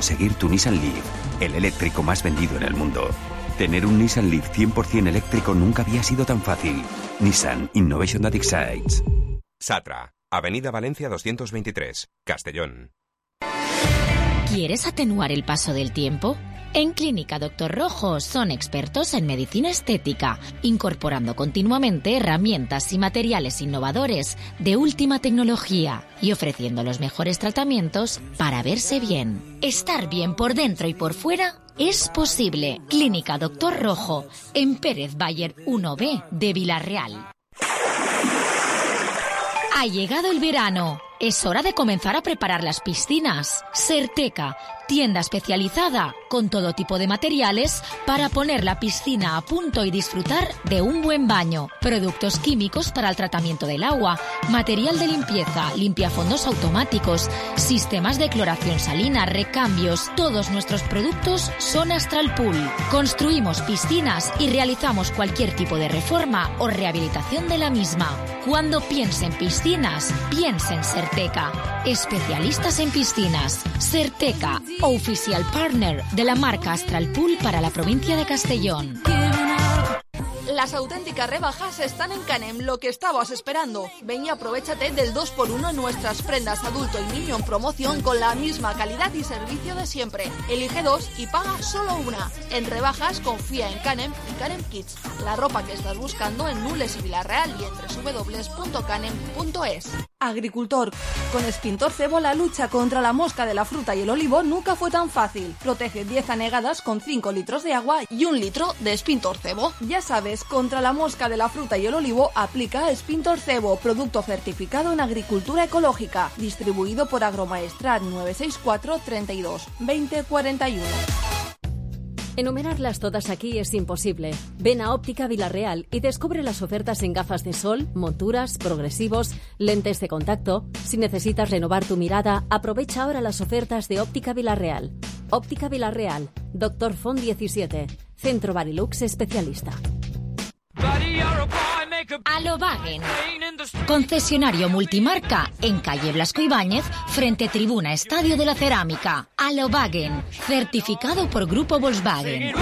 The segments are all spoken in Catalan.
Seguir tu Nissan Leaf, el eléctrico más vendido en el mundo. Tener un Nissan Leaf 100% eléctrico nunca había sido tan fácil. Nissan Innovation that excites. Satra, Avenida Valencia 223, Castellón. ¿Quieres atenuar el paso del tiempo? En Clínica Dr. Rojo son expertos en medicina estética, incorporando continuamente herramientas y materiales innovadores de última tecnología y ofreciendo los mejores tratamientos para verse bien. Estar bien por dentro y por fuera es posible. Clínica Dr. Rojo, en Pérez Bayer 1B de Villarreal. Ha llegado el verano. Es hora de comenzar a preparar las piscinas. Serteca, tienda especializada con todo tipo de materiales para poner la piscina a punto y disfrutar de un buen baño. Productos químicos para el tratamiento del agua, material de limpieza, limpiafondos automáticos, sistemas de cloración salina, recambios. Todos nuestros productos son Astral Pool. Construimos piscinas y realizamos cualquier tipo de reforma o rehabilitación de la misma. Cuando piense en piscinas, piense en Serteca. Especialistas en piscinas. Serteca, oficial partner de la marca Astral Pool para la provincia de Castellón. Las auténticas rebajas están en Canem, lo que estabas esperando. Ven y aprovéchate del 2x1 en nuestras prendas adulto y niño en promoción con la misma calidad y servicio de siempre. Elige 2 y paga solo una. En rebajas confía en Canem y Canem Kids. La ropa que estás buscando en Nules y Villarreal y en www.canem.es. Agricultor, con Spintor Cebo la lucha contra la mosca de la fruta y el olivo nunca fue tan fácil. Protege 10 anegadas con 5 litros de agua y 1 litro de Spintor Cebo. Ya sabes, contra la mosca de la fruta y el olivo aplica Spintor Cebo, producto certificado en agricultura ecológica, distribuido por Agromaestrat 964 32 20 41. Enumerarlas todas aquí es imposible. Ven a Óptica Villarreal y descubre las ofertas en gafas de sol, monturas, progresivos, lentes de contacto. Si necesitas renovar tu mirada, aprovecha ahora las ofertas de Óptica Villarreal. Óptica Villarreal, Dr. Font 17, Centro Barilux especialista. Alobagen, concesionario multimarca en calle Blasco Ibáñez, frente Tribuna Estadio de la Cerámica. Alobagen, certificado por Grupo Volkswagen.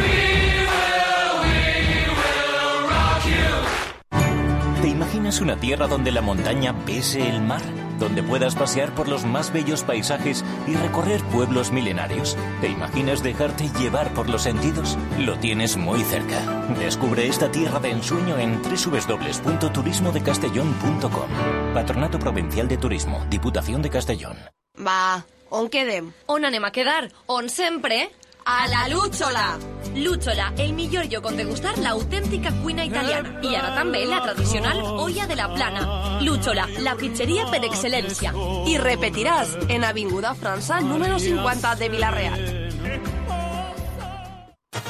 ¿Te imaginas una tierra donde la montaña bese el mar? Donde puedas pasear por los más bellos paisajes y recorrer pueblos milenarios. ¿Te imaginas dejarte llevar por los sentidos? Lo tienes muy cerca. Descubre esta tierra de ensueño en www.turismodecastellón.com. Patronato Provincial de Turismo, Diputación de Castellón. Va, on quedem? On anem a quedar? On sempre? A la Lúchola! Lúchola, el millor lloc on degustar l'autèntica cuina italiana. I ara també la tradicional olla de la plana. Lúchola, la pizzeria per excel·lència. Y repetirás en Avinguda França número 50 de Villarreal.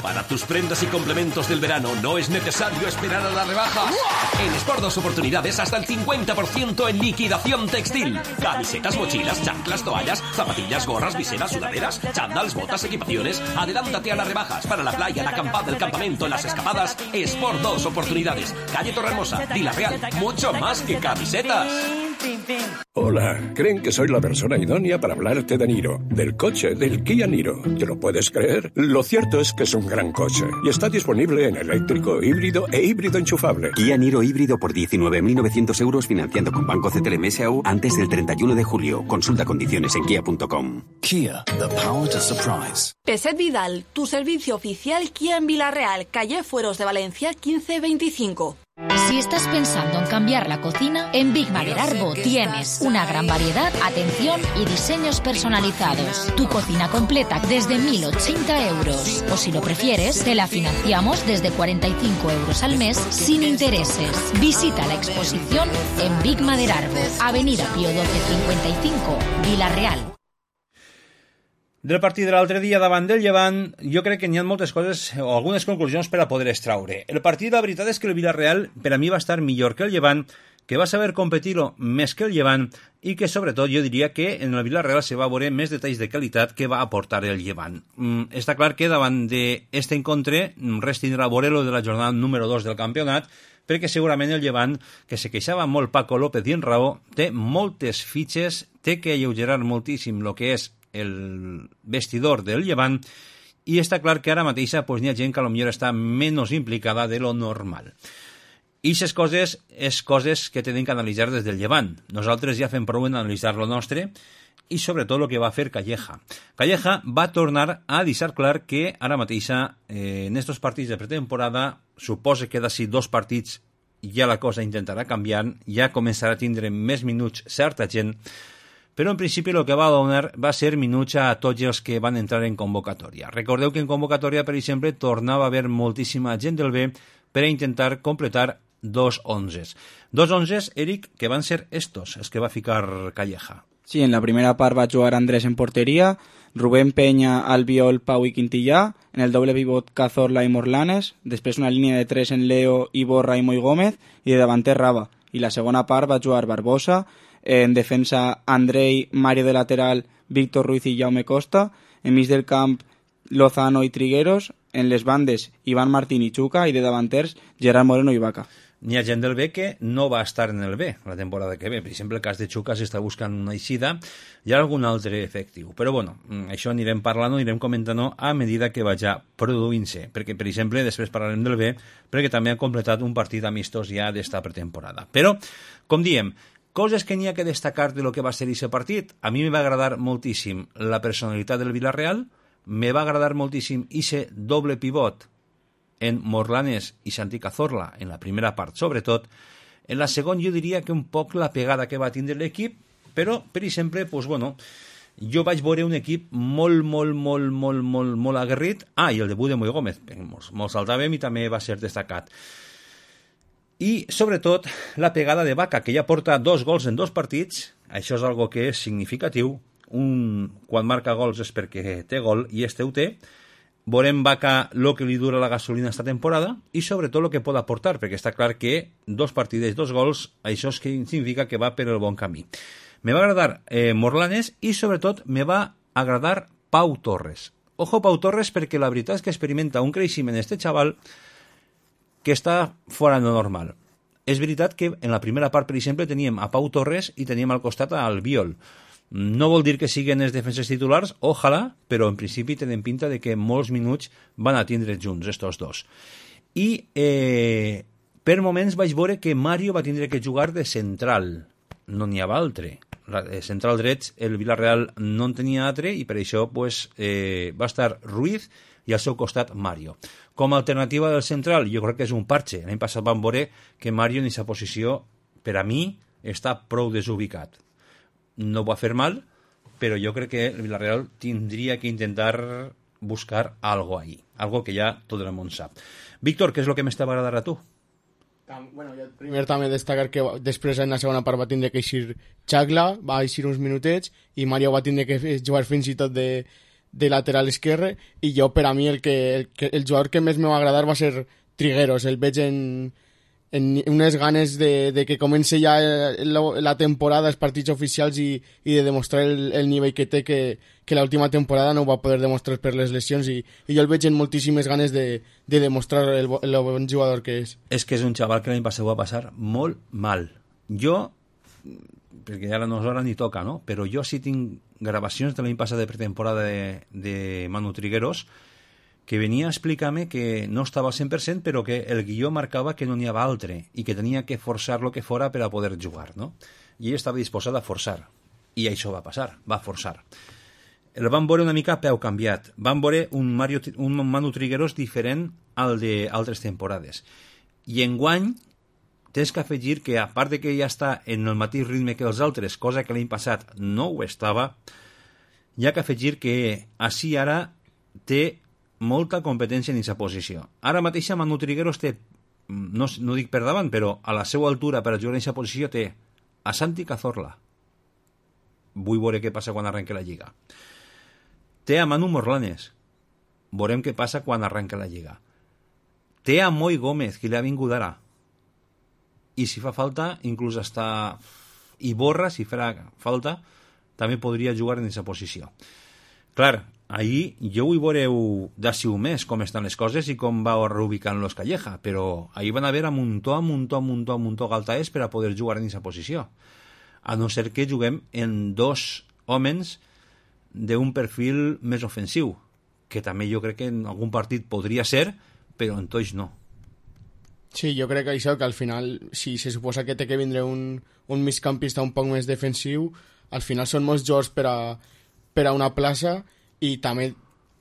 Para tus prendas y complementos del verano no es necesario esperar a las rebajas. En Sport 2 Oportunidades hasta el 50% en liquidación textil. Camisetas, mochilas, chanclas, toallas, zapatillas, gorras, viseras, sudaderas, chándals, botas, equipaciones. Adelántate a las rebajas para la playa, la acampada, el campamento, las escapadas. Sport 2 Oportunidades. Calle Torrehermosa, Villarreal. Mucho más que camisetas. Hola, ¿creen que soy la persona idónea para hablarte de Niro? Del coche, del Kia Niro. ¿Te lo puedes creer? Lo cierto es que es un gran coche y está disponible en eléctrico, híbrido e híbrido enchufable. Kia Niro híbrido por 19.900 euros financiando con Banco CTLM S.A.U. antes del 31 de julio. Consulta condiciones en kia.com. Kia, the power to surprise. Peset Vidal, tu servicio oficial Kia en Villarreal, calle Fueros de Valencia 1525. Si estás pensando en cambiar la cocina, en Big Mader Arbo tienes una gran variedad, atención y diseños personalizados. Tu cocina completa desde 1.080 euros. O si lo prefieres, te la financiamos desde 45 euros al mes sin intereses. Visita la exposición en Big Mader Arbo, Avenida Pío 1255, Villarreal. Del partit de l'altre dia davant del Llevant, jo crec que n'hi ha moltes coses o algunes conclusions per a poder extraure. El partit, la veritat és que el Villarreal per a mi va estar millor que el Llevant, que va saber competir-ho més que el Llevant i que sobretot jo diria que en el Villarreal se va veure més detalls de qualitat que va aportar el Llevant. Està clar que davant d'aquest encontre res tindrà a veure lo de la jornada número 2 del campionat, perquè segurament el Llevant, que se queixava molt Paco López i en raó, té moltes fitxes, té que alleugerar moltíssim el que és el vestidor del Llevant, i està clar que ara mateix pues, n'hi ha gent que potser està menys implicada de lo normal. I aquestes coses és coses que tenim que analitzar des del Llevant. Nosaltres ja fem prou en analitzar lo nostre i sobretot el que va fer Calleja. Calleja va tornar a deixar clar que ara mateix en estos partits de pretemporada, suposa que d'ací 2 partits ja la cosa intentarà canviar, ja començarà a tindre més minuts certa gent, però en principi el que va donar va ser minuts a tots els que van entrar en convocatòria. Recordeu que en convocatòria, per exemple, tornava a haver moltíssima gent del B per a intentar completar 2 11s. 2 11s, Eric, que van ser estos, els que va ficar Calleja. Sí, en la primera part va jugar Andrés en porteria, Rubén Peña, Albiol, Pau i Quintillà, en el doble pivot Cazorla i Morlanes, després una línia de 3 en Leo, Iborra i Moi Gómez, i de davanter Raba. I la segona part va jugar Barbosa, en defensa Andrei, Mario de lateral, Víctor Ruiz i Jaume Costa, en mig del camp Lozano i Trigueros, en les bandes Iván Martín i Chuca, i de davanters Gerard Moreno i Vaca. N'hi ha gent del B que no va estar en el B la temporada que ve. Per exemple, el cas de Chuca s'està buscant una eixida i algun altre efectiu. Però bueno, això anirem parlant, anirem comentant a medida que vagi produint-se. Perquè, per exemple, després parlarem del B, perquè també han completat un partit amistós ja d'esta pretemporada. Però, com diem, coses que n'hi ha que destacar de lo que va ser aquest partit. A mi me va agradar moltíssim la personalitat del Villarreal, me va agradar moltíssim aquest doble pivot en Morlanes i Santi Cazorla, en la primera part sobretot. En la segona jo diria que un poc la pegada que va tindre l'equip, però, per exemple, pues, bueno, jo vaig veure un equip molt aguerrit. I el debut de Moi Gómez, molt saltàvem i també va ser destacat. I, sobretot, la pegada de Vaca, que ja porta 2 gols en 2 partits. Això és algo que és significatiu. Quan marca gols és perquè té gol, i este ho té. Veurem Vaca el que li dura la gasolina esta temporada i sobretot el que pot aportar, perquè està clar que 2 partidets, 2 gols, això és que significa que va per el bon camí. Me va agradar Morlanes i sobretot me va agradar Pau Torres. Ojo Pau Torres, perquè la veritat és que experimenta un creixement este xaval que està fora de normal. És veritat que en la primera part, per exemple, teníem a Pau Torres i teníem al costat a Albiol. No vol dir que siguin els defenses titulars, ojalà, però en principi tenen pinta de que molts minuts van a tindre junts, estos dos. I per moments vaig veure que Mario va tindre que jugar de central, no n'hi havia altre. Central drets, el Villarreal no en tenia altre i per això pues, va estar Ruiz i al seu costat Mario. Com a alternativa del central, jo crec que és un parche. L'any passat vam veure que Mario en aquesta posició, per a mi, està prou desubicat. No va fer mal, però jo crec que el Villarreal tindria que intentar buscar algo ahí, algo que ja tot el món sap. Víctor, què és el que més t'ha agradat a tu? Bueno, jo primer també destacar que després en la segona part va tindre que eixir Chagla, va eixir uns minutets, i Mario va tindre que jugar fins i tot de lateral esquerre, i jo per a mi el jugador que més me va agradar va ser Trigueros. El veig en unes ganes de que comenci ja la temporada, els partits oficials i de demostrar el nivell que té, que l'última temporada no ho va poder demostrar per les lesions, i jo el veig en moltíssimes ganes de demostrar el bon jugador que és. És que és un xaval que l'any passat va passar molt mal. Jo, perquè ara no és hora ni toca, no? Però jo sí tinc gravacions de l'any passat de pretemporada de Manu Trigueros, que venia a explicar-me que no estava al 100%, però que el guió marcava que no n'hi havia altre i que tenia que forçar lo que fora per a poder jugar, no? I ell estava disposat a forçar. I això va passar, va forçar. El van veure una mica a peu canviat. Van veure un Manu Trigueros diferent al d'altres temporades. I enguany tens que afegir que, a part de que ja està en el mateix ritme que els altres, cosa que l'any passat no ho estava, hi ha que afegir que així ara té molta competència en aquesta posició. Ara mateix Manu Trigueros té, no dic per davant, però a la seva altura per a jugar en aquesta posició té a Santi Cazorla. Vull veure què passa quan arrenque la Lliga. Té a Manu Morlanes. Veurem què passa quan arrenque la Lliga. Té a Moi Gómez, que li ha vingut ara. I si fa falta, inclús hasta Iborra, si farà falta, també podria jugar en aquesta posició. Clar, ahir jo vull veure d'ací un mes com estan les coses i com va reubicant los Calleja, però ahir van haver a muntó galtaes per a poder jugar en aquesta posició. A no ser que juguem en 2 homes d'un perfil més ofensiu, que també jo crec que en algun partit podria ser, però en tots no. Sí, jo crec que això, que al final, si se suposa que té que vindre un migcampista un poc més defensiu, al final són molts jugadors per a una plaça, i també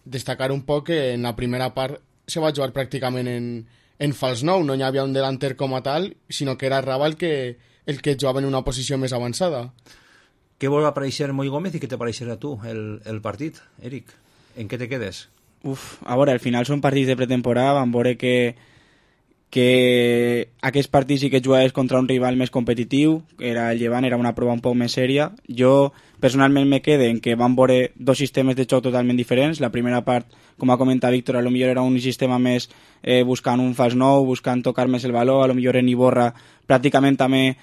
destacar un poc que en la primera part se va jugar pràcticament en fals 9, no hi havia un delanter com a tal, sinó que era Raba el que jugava en una posició més avançada. Què vol aparèixer Moi Gómez i què t'apareixerà a tu el partit, Eric? En què te quedes? A veure, al final són partits de pretemporada, vam veure que aquest partit sí que jugaves contra un rival més competitiu, era el Llevant, era una prova un poc més sèria. Jo personalment me quede en que vam veure dos sistemes de joc totalment diferents. La primera part, com ha comentat Víctor, a lo millor era un sistema més buscant un fals 9, buscant tocar més el valor, a lo millor en Iborra pràcticament també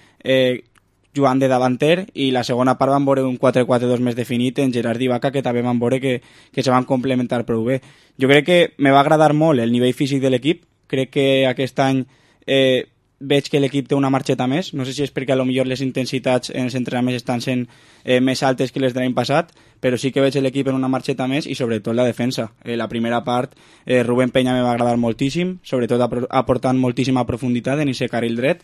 jugant de davanter, i la segona part van veure un 4-4-2 més definit en Gerard i Vaca, que també van veure que se van complementar prou bé. Jo crec que me va agradar molt el nivell físic de l'equip. Crec que aquest any veig que l'equip té una marxeta més. No sé si és perquè a lo millor les intensitats en els entrenaments estan sent més altes que les de l'any passat, però sí que veig l'equip en una marxeta més, i sobretot la defensa. La primera part, Rubén Peña me va agradar moltíssim, sobretot aportant moltíssima profunditat en aquest carril dret.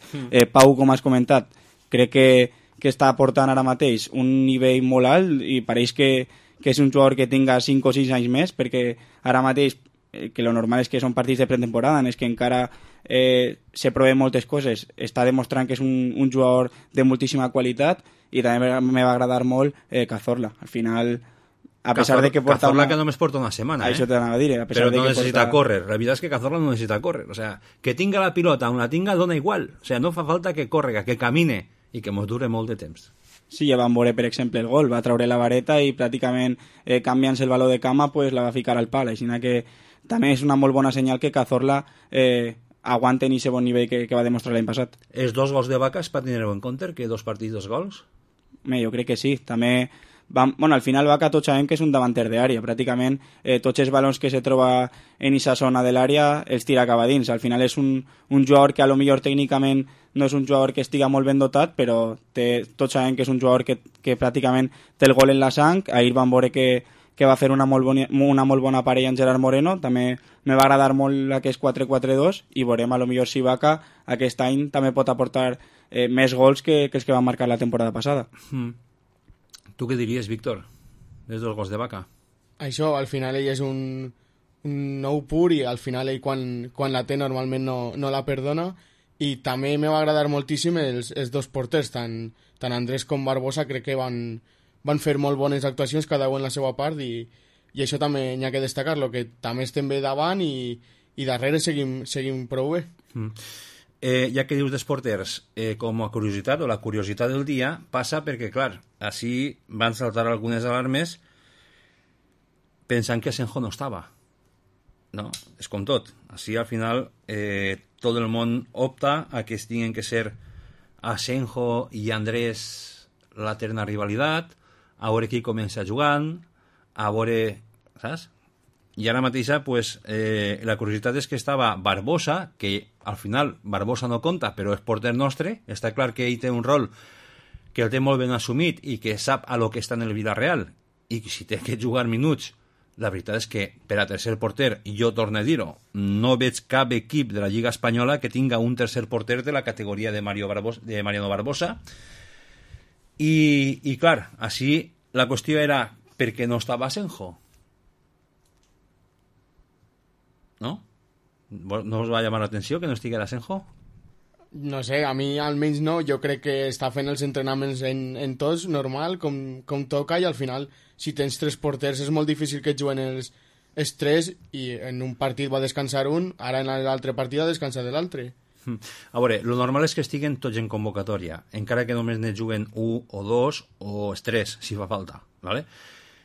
Pau, com has comentat, crec que està aportant ara mateix un nivell molt alt, i pareix que és un jugador que tinga 5 o 6 anys més, perquè ara mateix, que lo normal és que són partits de pretemporada en els que encara se proven moltes coses, està demostrant que és un jugador de moltíssima qualitat, i també me va agradar molt Cazorla. Al final, a pesar de que porta Cazorla que només porta una setmana, això t'anava a dir, a pesar però de no que necessita porta... córrer. La veritat és que Cazorla no necessita córrer, o sea, que tinga la pilota on la tinga dona igual, o sea, no fa falta que córrega, que camine i que mos dure molt de temps. Sí, ja vam veure, per exemple, el gol, va treure la vareta i pràcticament canviant-se el valor de cama pues, la va ficar al pal, així que també és una molt bona senyal que Cazorla aguanten aquest bon nivell que va demostrar l'any passat. Els 2 gols de Vaca es pot tenir en compte, que 2 partits, 2 gols? Jo crec que sí, també... Bueno, al final Vaca tots sabem que és un davanter d'àrea, pràcticament tots els balons que se troba en aquesta zona de l'àrea els tira cap a dins. Al final és un jugador que a lo millor tècnicament no és un jugador que estiga molt ben dotat, però tots sabem que és un jugador que pràcticament té el gol en la sang. Ahir vam veure que va fer una molt bona parella en Gerard Moreno, també me va agradar molt aquest 4-4-2, i veurem a lo millor si Vaca aquest any també pot aportar més gols que els que van marcar la temporada passada. Tu què diries, Víctor, des dels gols de Vaca? Això, al final ell és un nou pur, i al final ell quan la té normalment no la perdona, i també me va agradar moltíssim els dos porters, tant Andrés com Barbosa. Crec que van fer molt bones actuacions cada un en la seva part, i això també n'hi ha que destacar-lo, que també estem bé davant i darrere seguim prou bé. Ja que dius dels porters, com a curiositat, o la curiositat del dia, passa perquè, clar, així van saltar algunes alarmes pensant que Asenjo no estava. No, és com tot. Així, al final, tot el món opta a que tinguin que ser Asenjo i Andrés la terna rivalitat, a veure qui comença jugant, a veure... Saps? I ara mateixa, pues, la curiositat és que estava Barbosa, que al final Barbosa no compta, però és porter nostre. Està clar que ell té un rol que el té molt ben assumit i que sap a lo que està en el Villarreal, i si té que jugar minuts, la veritat és que per a tercer porter, jo torno a dir-ho, no veig cap equip de la Lliga Espanyola que tinga un tercer porter de la categoria de Mariano Barbosa. I clar, així la qüestió era per què no estava Asenjo. ¿No? ¿No us va llamar l'atenció que no estiguera Asenjo? No sé, a mi almenys no. Jo crec que està fent els entrenaments en tots normal, com toca, i al final, si tens 3 porters, és molt difícil que juguen els 3, i en un partit va descansar un, ara en l'altre partit ha descansat l'altre. A veure, lo normal és que estiguen tots en convocatòria, encara que només ne juguen 1 o 2 o 3, si fa falta, ¿vale?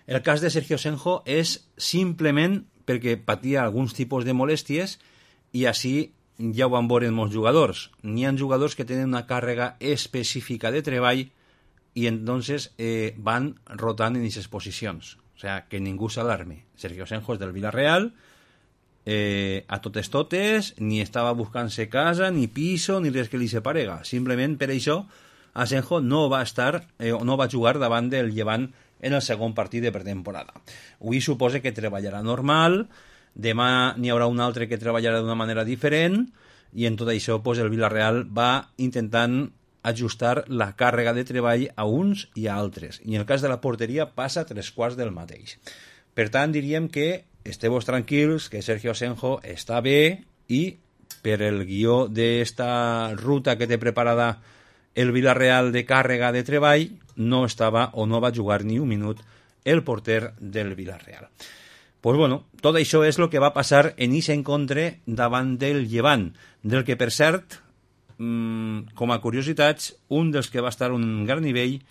El cas de Sergio Asenjo és simplement perquè patia alguns tipus de molèsties, i així ja ho van veure molts jugadors. N'hi ha jugadors que tenen una càrrega específica de treball i entonces van rotant en aquestes posicions. O sea, que ningú s'alarme. Sergio Asenjo és del Villarreal, a totes, ni estava buscant-se casa, ni piso, ni res que li separega. Simplement per això Asenjo no va estar no va jugar davant del Llevant en el segon partit de pretemporada. Avui suposa que treballarà normal, demà n'hi haurà un altre que treballarà d'una manera diferent, i en tot això pues, el Villarreal va intentant ajustar la càrrega de treball a uns i a altres. I en el cas de la porteria passa 3/4 del mateix. Per tant, diríem que esteu tranquils, que Sergio Asenjo està bé i per el guió d'esta ruta que té preparada el Villarreal de càrrega de treball no estava o no va jugar ni un minut el porter del Villarreal. Pues bueno, tot això és el que va passar en aquest encontre davant del Llevant, del que per cert, com a curiositats, un dels que va estar a un gran nivell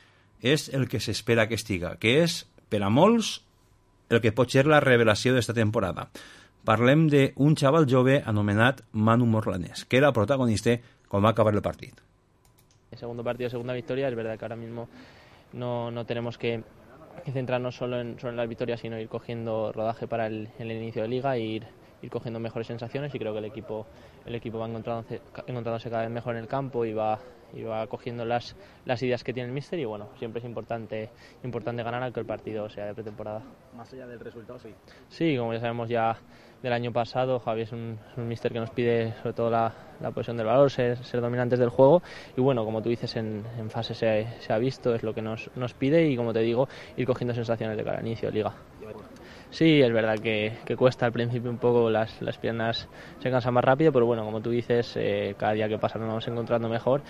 és el que s'espera que estiga, que és, per a molts, el que pot ser la revelació d'esta temporada. Parlem d'un xaval jove anomenat Manu Morlanes, que era protagonista quan va acabar el partit. El segundo partido, segunda victoria, es verdad que ahora mismo no tenemos que centrarnos solo en las victorias, sino ir cogiendo rodaje para el inicio de liga e ir cogiendo mejores sensaciones, y creo que el equipo va encontrándose cada vez mejor en el campo y va cogiendo las ideas que tiene el míster, y bueno, siempre es importante ganar aunque el partido sea de pretemporada. Más allá del resultado, sí. Sí, como ya sabemos ya del año pasado, Javi es un míster que nos pide sobre todo la posesión del balón, ser dominantes del juego, y bueno, como tú dices, en fase se ha visto, es lo que nos pide, y como te digo, ir cogiendo sensaciones de cara al inicio de liga. Sí, es verdad que cuesta al principio un poco, las piernas se cansan más rápido, pero bueno, como tú dices, cada día que pasa nos vamos encontrando mejor,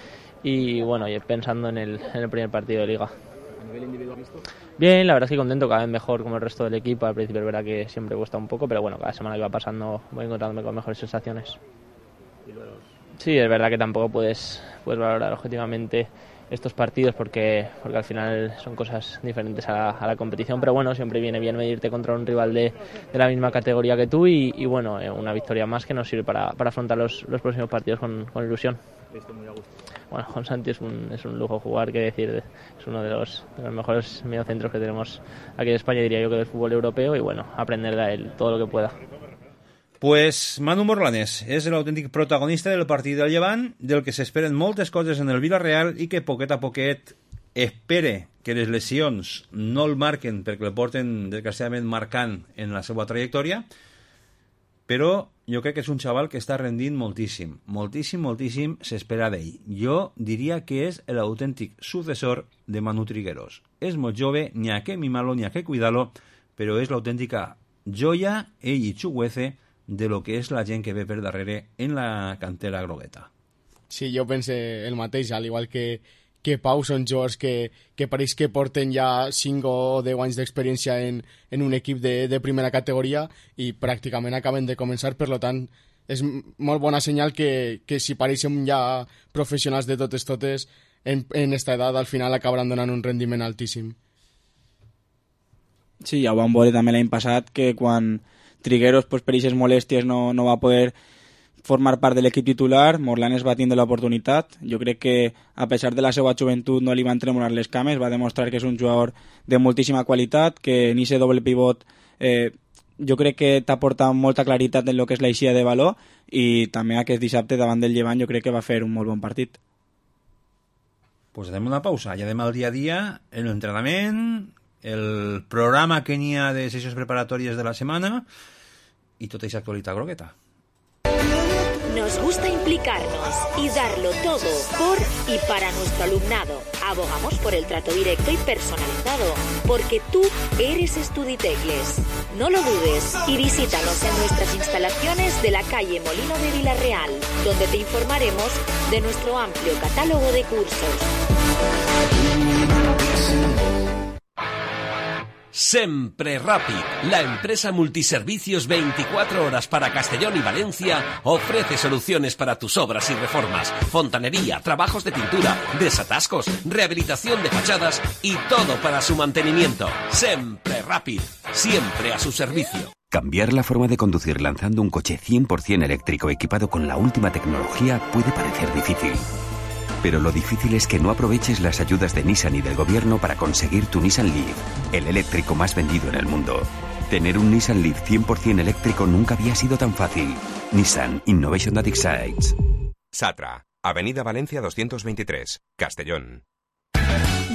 y bueno, y pensando en el primer partido de liga. ¿A nivel individual visto? Bien, la verdad es que contento, cada vez mejor como el resto del equipo. Al principio es verdad que siempre cuesta un poco, pero bueno, cada semana que va pasando voy encontrándome con mejores sensaciones. Sí, es verdad que tampoco puedes valorar objetivamente estos partidos porque al final son cosas diferentes a la competición, pero bueno, siempre viene bien medirte contra un rival de la misma categoría que tú, y bueno, una victoria más que nos sirve para afrontar los próximos partidos con ilusión. Muy a gusto. Bueno, con Santi es un lujo jugar, que decir, es uno de los mejores mediocentros que tenemos aquí en España, diría yo, que del fútbol europeo, y bueno, aprender de él todo lo que pueda. Pues Manu Morlanes és l'autèntic protagonista del partit del Llevant, del que s'esperen moltes coses en el Villarreal i que poquet a poquet espere que les lesions no el marquen, perquè el porten desgraciadament marcant en la seva trajectòria, però jo crec que és un xaval que està rendint moltíssim, moltíssim s'espera d'ell. Jo diria que és l'autèntic successor de Manu Trigueros. És molt jove, ni a què mimarlo, ni a què cuidar-lo, però és l'autèntica joia, ell i Chuguece, de lo que és la gent que ve per darrere en la cantera grogueta. Sí, jo pense el mateix, al igual que Pau, són jugadors que pareix que porten ja 5 o 10 anys d'experiència en un equip de primera categoria i pràcticament acaben de començar, per tant és molt bona senyal que si pareixen ja professionals de totes en esta edat, al final acabaran donant un rendiment altíssim. Sí, ja ho vam veure també l'any passat, que quan Trigueros pues, per aquestes molèsties no va poder formar part de l'equip titular, Morlanes va tindre l'oportunitat. Jo crec que a pesar de la seva joventut no li van tremolar les cames, va demostrar que és un jugador de moltíssima qualitat, que en aquest doble pivot jo crec que t'aporta molta claritat en el que és l'eixida de valor, i també aquest dissabte davant del Llevant jo crec que va fer un molt bon partit. Pues hacemos una pausa, ya además el día a día, el entrenamiento, el programa que n'hi ha de sesiones preparatorias de la semana y toda esa actualidad grogueta. Nos gusta implicarnos y darlo todo por y para nuestro alumnado. Abogamos por el trato directo y personalizado, porque tú eres Studitecles. No lo dudes y visítanos en nuestras instalaciones de la calle Molino de Villarreal, donde te informaremos de nuestro amplio catálogo de cursos. Sempre Rapid, la empresa multiservicios 24 horas para Castellón y Valencia, ofrece soluciones para tus obras y reformas, fontanería, trabajos de pintura, desatascos, rehabilitación de fachadas y todo para su mantenimiento. Sempre Rapid, siempre a su servicio. Cambiar la forma de conducir lanzando un coche 100% eléctrico equipado con la última tecnología puede parecer difícil. Pero lo difícil es que no aproveches las ayudas de Nissan y del gobierno para conseguir tu Nissan Leaf, el eléctrico más vendido en el mundo. Tener un Nissan Leaf 100% eléctrico nunca había sido tan fácil. Nissan Innovation That Excites. Satra, Avenida Valencia 223, Castellón.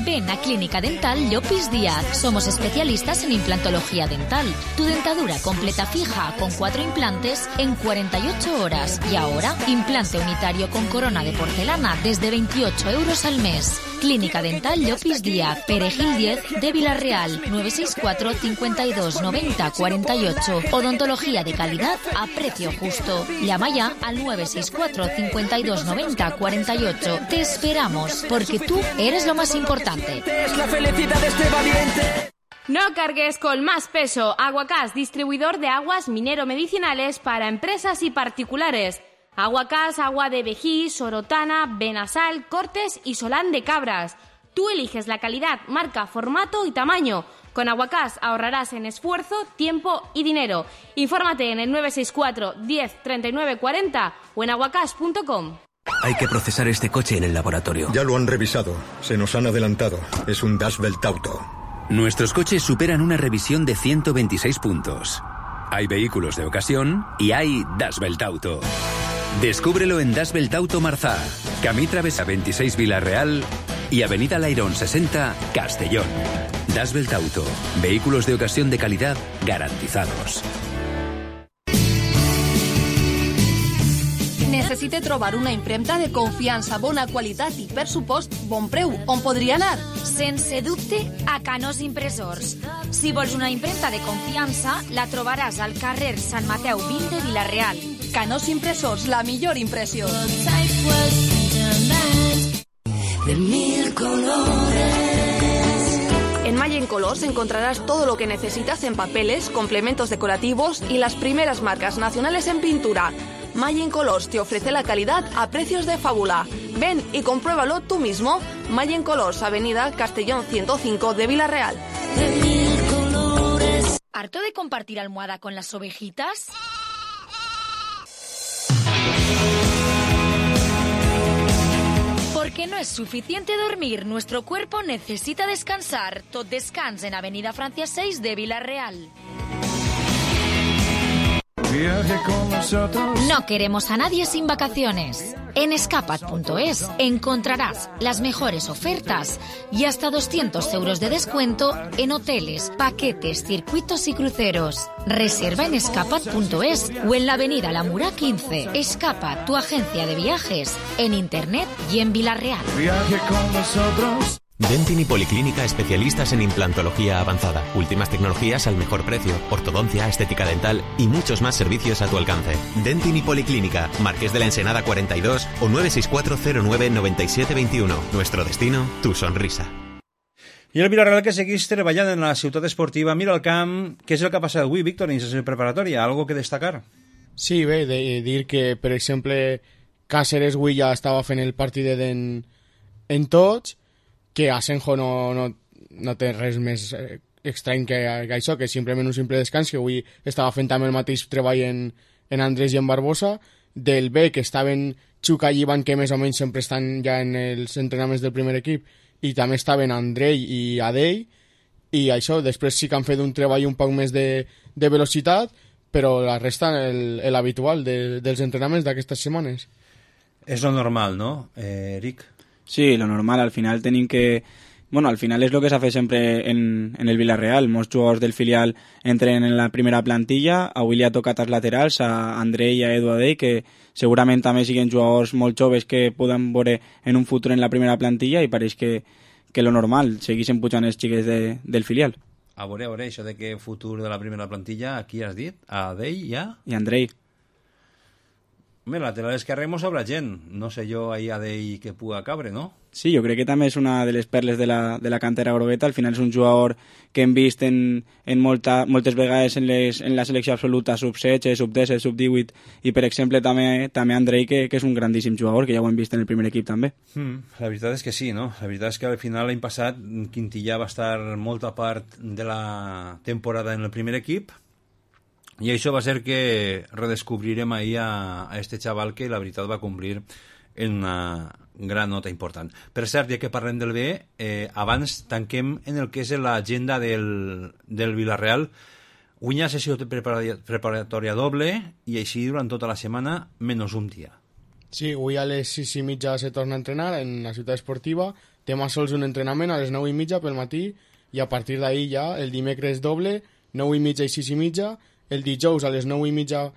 Ven a Clínica Dental Llopis Díaz. Somos especialistas en implantología dental. Tu dentadura completa fija con 4 implantes en 48 horas. Y ahora, implante unitario con corona de porcelana desde 28 euros al mes. Clínica Dental Llopis Díaz, Perejil 10 de Villarreal, 964 52 90 48. Odontología de calidad a precio justo. Llama ya al 964 52 90 48. Te esperamos, porque tú eres lo más importante. Es la felicidad de este valiente. No cargues con más peso. Aguacás, distribuidor de aguas minero-medicinales para empresas y particulares. Aguacás, agua de Vejí, Sorotana, Benasal, Cortes y Solán de Cabras. Tú eliges la calidad, marca, formato y tamaño. Con Aguacás ahorrarás en esfuerzo, tiempo y dinero. Infórmate en el 964 10 39 40 o en aguacás.com. Hay que procesar este coche en el laboratorio. Ya lo han revisado. Se nos han adelantado. Es un Das Belt Auto. Nuestros coches superan una revisión de 126 puntos. Hay vehículos de ocasión y hay Das Belt Auto. Descúbrelo en Das Belt Auto Marzá, Camí Travesa 26 Villarreal y Avenida Lairón 60 Castellón. Das Belt Auto, vehículos de ocasión de calidad garantizados. Necessite trobar una impremta de confiança, bona qualitat i, per supost, bon preu. On podria anar? Sense dubte, a Canós Impressors. Si vols una impremta de confiança, la trobaràs al carrer Sant Mateu 20 de Villarreal. Canós Impressors, la millor impressió. De 1000 colores. En Mayen Colors encontrarás todo lo que necesitas en papeles, complementos decorativos y las primeras marcas nacionales en pintura. Mayen Colors te ofrece la calidad a precios de fábula. Ven y compruébalo tú mismo. Mayen Colors, Avenida Castellón 105 de Villarreal. ¿Harto de compartir almohada con las ovejitas? Porque no es suficiente dormir, nuestro cuerpo necesita descansar. Tot Descans en Avenida Francia 6 de Villarreal. No queremos a nadie sin vacaciones. En escapat.es encontrarás las mejores ofertas y hasta 200 euros de descuento en hoteles, paquetes, circuitos y cruceros. Reserva en escapat.es o en la avenida La Murá 15. Escapat, tu agencia de viajes, en internet y en Villarreal. Viaje con nosotros. Dentin y Policlínica, especialistas en implantología avanzada, últimas tecnologías al mejor precio, ortodoncia, estética dental y muchos más servicios a tu alcance. Dentin y Policlínica, Marqués de la Ensenada 42 o 964099721. Nuestro destino, tu sonrisa. I el Villarreal que seguís treballant en la ciutat esportiva mira el camp. Què és el que ha passat avui, Víctor, en la preparatòria? ¿Algo que destacar? Sí, bé, de dir que, per exemple, Cáceres avui ja estava fent el partit en tots, que Asenjo no té res més estrany que això, que simplement un simple descans, que avui estava fent també el mateix treball en Andrés i en Barbosa, del B, que estaven Xuca i Ivan, que més o menys sempre estan ja en els entrenaments del primer equip, i també estaven Andrei i Adei, i això, després sí que han fet un treball un poc més de velocitat, però la resta l'habitual dels entrenaments d'aquestes setmanes. És lo normal, ¿no, Eric? Sí, lo normal, al final tenim que... Bueno, al final és el que s'ha fet sempre en el Villarreal. Molts jugadors del filial entren en la primera plantilla. Avui li ha tocat als laterals a Andrei i a Edu Adei, que segurament també siguen jugadors molt joves que poden veure en un futur en la primera plantilla, i pareix que lo normal, segueixen pujant els xiquets del filial. A veure, això de que futur de la primera plantilla, a qui has dit? A Adei i a... I Andrei. Mira, lateral esquerre mos habrá gent. No sé jo ahí Adei que puga cabre, ¿no? Sí, jo crec que també és una de les perles de la cantera grogueta. Al final és un jugador que hem vist en moltes vegades en la selecció absoluta, sub-16, sub-17, sub-18, i per exemple també Andrei, que és un grandíssim jugador, que ja ho hem vist en el primer equip també. La veritat és que sí, no? La veritat és que al final l'any passat Quintillà va estar molta part de la temporada en el primer equip, i això va ser que redescobrirem ahir a este xaval que la veritat va complir en una gran nota important. Per cert, ja que parlem del B, abans tanquem en el que és l'agenda del Villarreal. Avui hi ha sessió preparatòria doble i així durant tota la setmana menys un dia. Sí, avui a les 6:30 se torna a entrenar en la ciutat esportiva. demà sols un entrenament a les 9:30 pel matí i a partir d'ahir ja el dimecres doble, 9:30 i 6:30, el dijous a les 9:30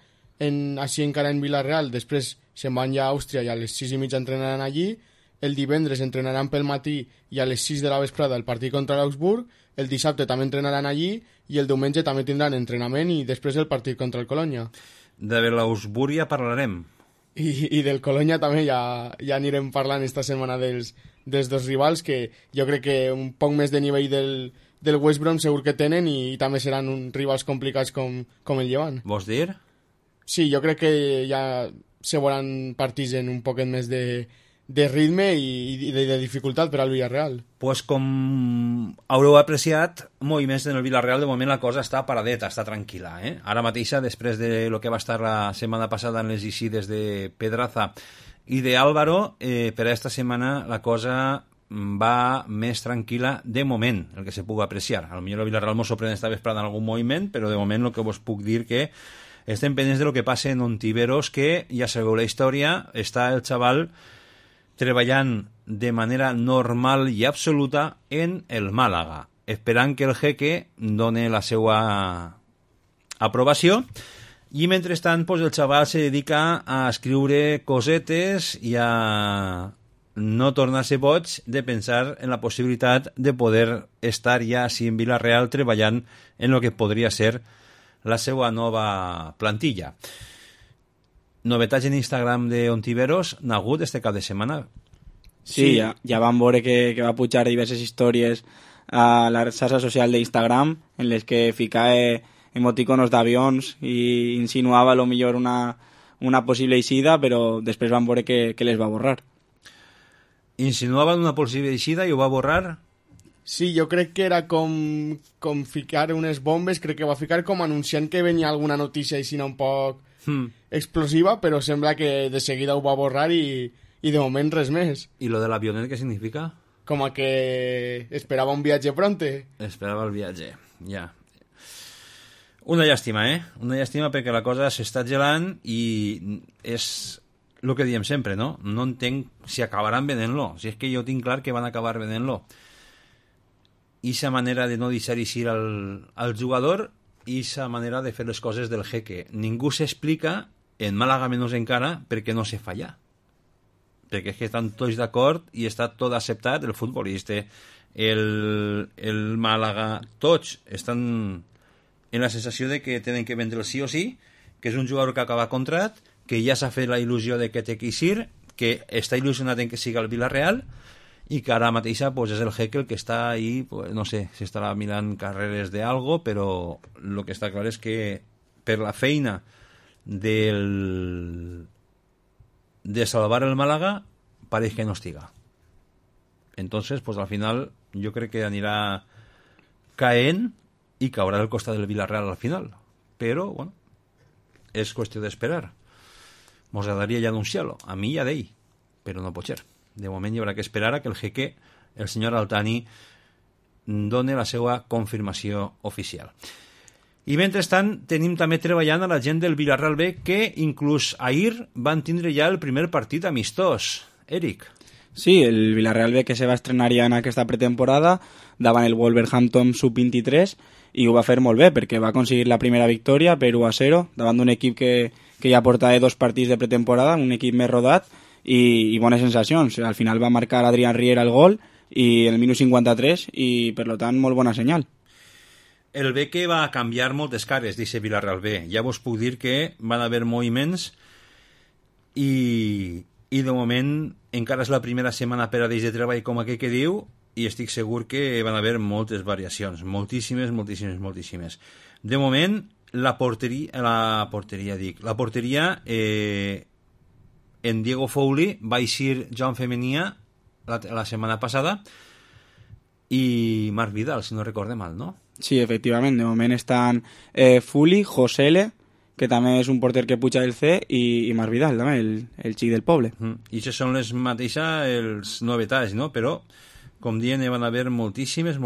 així encara en Vila-real, després se'n van ja a Àustria i a les 6:30 entrenaran allí, el divendres entrenaran pel matí i a les 6 de la vesprada el partit contra l'Augsburg, el dissabte també entrenaran allí i el diumenge també tindran entrenament i després el partit contra el Colònia. De l'Augsburg ja parlarem. I del Colònia també ja anirem parlant esta setmana dels dos rivals, que jo crec que un poc més de nivell del West Brom segur que tenen i també seran rivals complicats com el Llevant. Vols dir? Sí, jo crec que ja se veuran partits en un poquet més de ritme i de dificultat per al Villarreal. Pues com haureu apreciat, moviments en el Villarreal, de moment la cosa està paradeta, està tranquil·la. Ara mateixa, després de lo que va estar la setmana passada en les eixides de Pedraza i de Álvaro, per a esta setmana la cosa va més tranquil·la de moment, el que se pugui apreciar. A lo millor el Villarreal mos sorprèn esta vesprada en algun moviment, però de moment el que vos puc dir que estem pendents de lo que passa en Ontiveros, que ja sabeu la història, està el xaval treballant de manera normal i absoluta en el Màlaga, esperant que el jeque doni la seva aprovació, i mentrestant pues, el xaval se dedica a escriure cosetes i a no tornar-se boig de pensar en la possibilitat de poder estar ja així en Vila-real treballant en lo que podria ser la seva nova plantilla. Novetats en Instagram de Ontiveros n'ha hagut este cap de setmana? Sí, ja vam veure que va pujar diverses històries a la xarxa social d'Instagram en les que ficava emoticonos d'avions i insinuava a lo millor una possible eixida, però després vam veure que les va borrar. Insinuava una possible eixida i ho va borrar? Sí, jo crec que era com ficar unes bombes, crec que va ficar com anunciant que venia alguna notícia així un poc explosiva, però sembla que de seguida ho va borrar i de moment res més. I lo de l'avionet què significa? Com a que esperava un viatge pronte. Esperava el viatge, ja. Una llàstima, Una llàstima perquè la cosa s'està gelant i és el que diem sempre, no? No entenc si acabaran venent-lo. Si és que jo tinc clar que van acabar venent-lo. I sa manera de no deixar eixir al jugador i sa manera de fer les coses del jeque. Ningú s'explica, en Màlaga menys encara, perquè no se falla. Perquè és que estan tots d'acord i està tot acceptat, el futbolista, el Màlaga, tots estan en la sensació de que tenen que vendre el sí o sí, que és un jugador que acaba contrat, que ja s'ha fet la il·lusió de que té que eixir, que està il·lusionat en que siga el Villarreal i que ara mateixa pues, és el jeque el que està ahí, pues, no sé, si estarà mirant carreres de algo, però el que està clar és que per la feina de salvar el Málaga pareix que no estiga. Entonces, pues al final jo crec que anirà caent i caurà al costat del Villarreal al final. Però, bueno, és qüestió d'esperar. Mos agradaria ja anunciar-lo, a mi ja d'ell, però no pot ser. De moment hi haurà que esperar a que el jeque, el senyor Altani, doni la seva confirmació oficial. I mentrestant tenim també treballant a la gent del Villarreal B, que inclús ahir van tindre ja el primer partit amistós. Eric. Sí, el Villarreal B que se va estrenar ja en aquesta pretemporada davant el Wolverhampton sub-23 i ho va fer molt bé perquè va aconseguir la primera victòria per 1-0 davant d'un equip que ja portava 2 partits de pretemporada, un equip més rodat i bones sensacions. Al final va marcar Adrián Riera el gol i el minut 53 i per tant molt bona senyal. El B que va canviar moltes cares d'aquest Villarreal B. Ja vos puc dir que van haver moviments i de moment encara és la primera setmana per a dins de treball com aquell que diu i estic segur que van haver moltes variacions, moltíssimes. De moment la porteria en Diego Foley va eixir Joan Femenia la setmana passada i Marc Vidal, si no recorde mal, no? Sí, efectivament, de moment estan Foley, Josele, que també és un porter que puja del C, i Marc Vidal, també, el xic del poble. I això són les mateixes els novetats, no? Però, com diem, van haver moltíssimes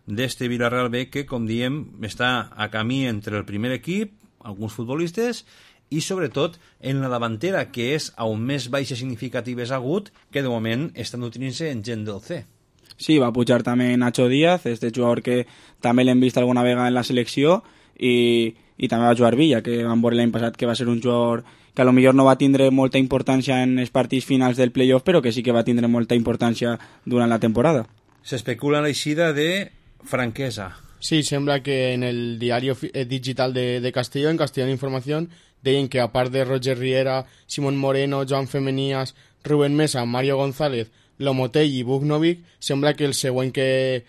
d'este Villarreal B que, com diem, està a camí entre el primer equip, alguns futbolistes, i sobretot en la davantera, que és on més baixes significatives ha hagut, que de moment estan utilitzant-se en gent del C. Sí, va pujar també Nacho Díaz, este jugador que també l'hem vist alguna vegada en la selecció, i també va jugar Villa, que vam veure l'any passat que va ser un jugador que a lo millor no va tindre molta importància en els partits finals del playoff, però que sí que va tindre molta importància durant la temporada. S'especula l'eixida de Franquesa. Sí, sembla que en el diari digital de Castelló, en Castellón Información, deien que a part de Roger Riera, Simón Moreno, Joan Femenías, Rubén Mesa, Mario González, Lomotell i Bugnovic, sembla que el següent que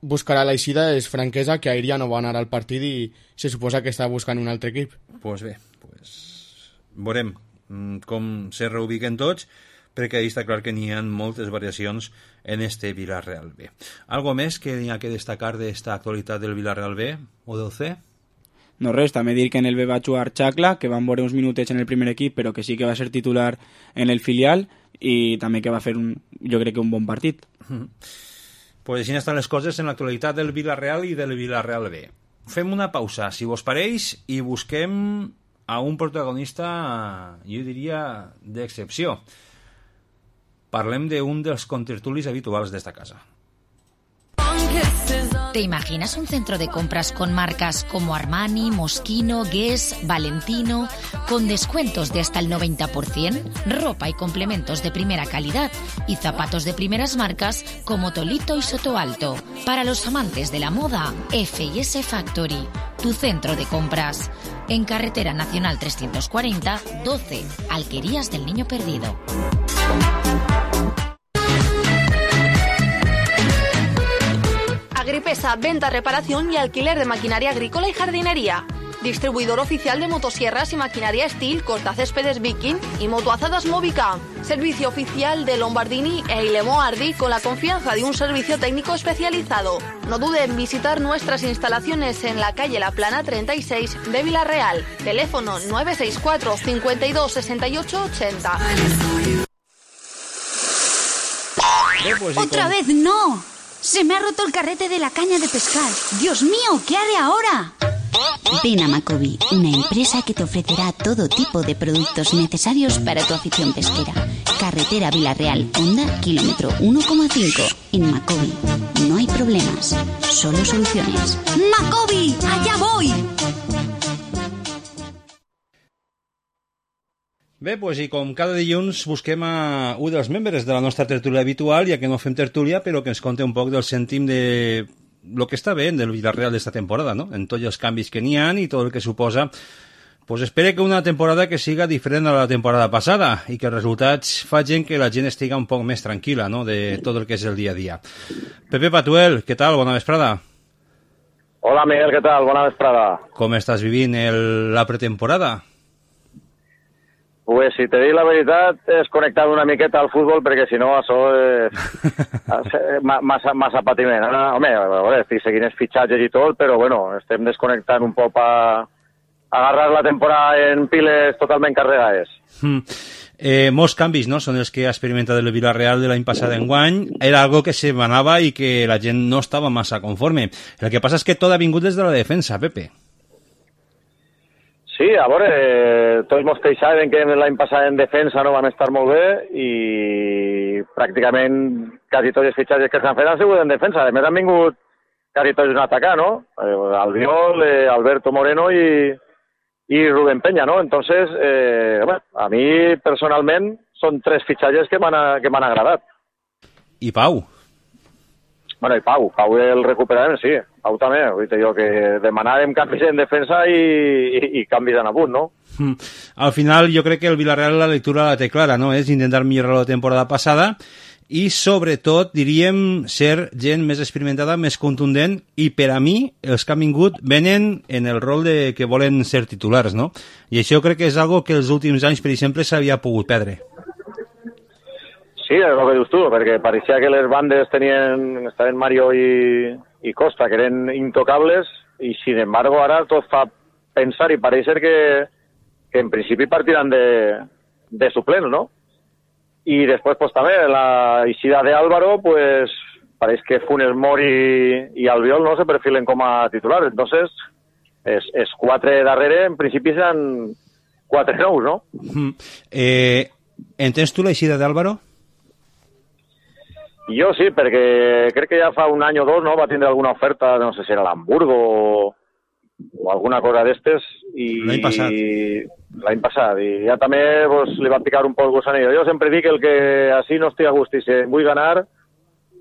buscarà l'eixida és Franquesa, que ahir ja no va anar al partit i se suposa que està buscant un altre equip. Pues bé, veurem com se reubiquen tots, perquè ahí està clar que n'hi ha moltes variacions en este Villarreal B. Algo més que n'hi ha que destacar d'esta actualitat del Villarreal B o del C? No res, també dir que en el B va jugar Chacla, que van veure uns minutets en el primer equip, però que sí que va ser titular en el filial, i també que va fer jo crec que un bon partit. Pues així estan les coses en l'actualitat del Villarreal i del Villarreal B. Fem una pausa, si vos pareix, i busquem a un protagonista, jo diria, d'excepció. Parlem d'un dels contertulis habituals d'esta casa. ¿Te imaginas un centro de compras con marcas como Armani, Moschino, Guess, Valentino, con descuentos de hasta el 90%, ropa y complementos de primera calidad y zapatos de primeras marcas como Tolito y Sotoalto? Para los amantes de la moda, F&S Factory, tu centro de compras. En Carretera Nacional 340, 12, Alquerías del Niño Perdido. Agripesa, venta, reparación y alquiler de maquinaria agrícola y jardinería. Distribuidor oficial de motosierras y maquinaria Steel, cortacéspedes Viking y motoazadas Movica. Servicio oficial de Lombardini e Ilemo Ardi con la confianza de un servicio técnico especializado. No dude en visitar nuestras instalaciones en la calle La Plana 36 de Villarreal. Teléfono 964 52 68 80. ¡Otra vez no! ¡Se me ha roto el carrete de la caña de pescar! ¡Dios mío! ¿Qué haré ahora? Ven a Macobi, una empresa que te ofrecerá todo tipo de productos necesarios para tu afición pesquera. Carretera Villarreal, Honda, kilómetro 1,5. En Macobi no hay problemas, solo soluciones. ¡Macobi! ¡Allá voy! Bé, pues, i com cada dilluns busquem a un dels membres de la nostra tertúlia habitual, ja que no fem tertúlia, però que ens conte un poc del cèntim de lo que està bé del Villarreal d'esta temporada, no? En tots els canvis que n'hi ha i tot el que suposa. Pues espere que una temporada que siga diferent a la temporada passada i que els resultats facin que la gent estiga un poc més tranquil·la, no?, de tot el que és el dia a dia. Pepe Patuel, què tal? Bona vesprada. Hola, Miguel, què tal? Bona vesprada. Com estàs vivint la pretemporada? Pues si te dic la veritat, he desconnectat una miqueta al futbol perquè si no això és massa patiment. Ara, home, a veure, estic seguint els fitxatges i tot, però bueno, estem desconnectant un poc per agarrar la temporada en piles totalment carregades. Molts canvis, no?, són els que ha experimentat el Villarreal de l'any passat enguany. Era algo que se manava i que la gent no estava massa conforme. El que passa és que tot ha vingut des de la defensa, Pepe. Sí, a veure, tots vostès saben que l'any passat en defensa no van estar molt bé i pràcticament quasi tots els fitxatges que s'han fet han sigut en defensa. A més han vingut quasi tots un atacar, ¿no? Albiol, Alberto Moreno y Rubén Peña, ¿no? Entonces, a mi personalment són tres fitxatges que m'han agradat. I Pau? Bueno, i Pau el recuperarem, sí. Pau també, vull dir jo que demanàvem canvis en defensa i canvis en apunt, no? Al final jo crec que el Villarreal la lectura la té clara, no? És intentar millorar la temporada passada i sobretot, diríem, ser gent més experimentada, més contundent, i per a mi els que han vingut venen en el rol de que volen ser titulars, no? I això crec que és algo que els últims anys, per exemple, s'havia pogut perdre. Sí, és el que dius tu, perquè pareixia que les bandes estaven Mario i Costa, que eren intocables, i sin embargo ara tot fa pensar i pareix ser que en principi partiran de suplents, ¿no? I després pues també la eixida de Álvaro, pues pareix que Funes Mori i Albiol no se perfilen com a titulars. Entonces, els quatre darrere en principi 4 nous, no? Entens tu l'eixida d'Álvaro? Jo sí, perquè crec que ja fa un any o dos, no?, va tindre alguna oferta, no sé si era l'Hamburgo o alguna cosa d'estes. L'any passat. L'any passat. I ja també pues, li va picar un poc gusanillo. Jo sempre dic el que així no estic a gust i se vull ganar,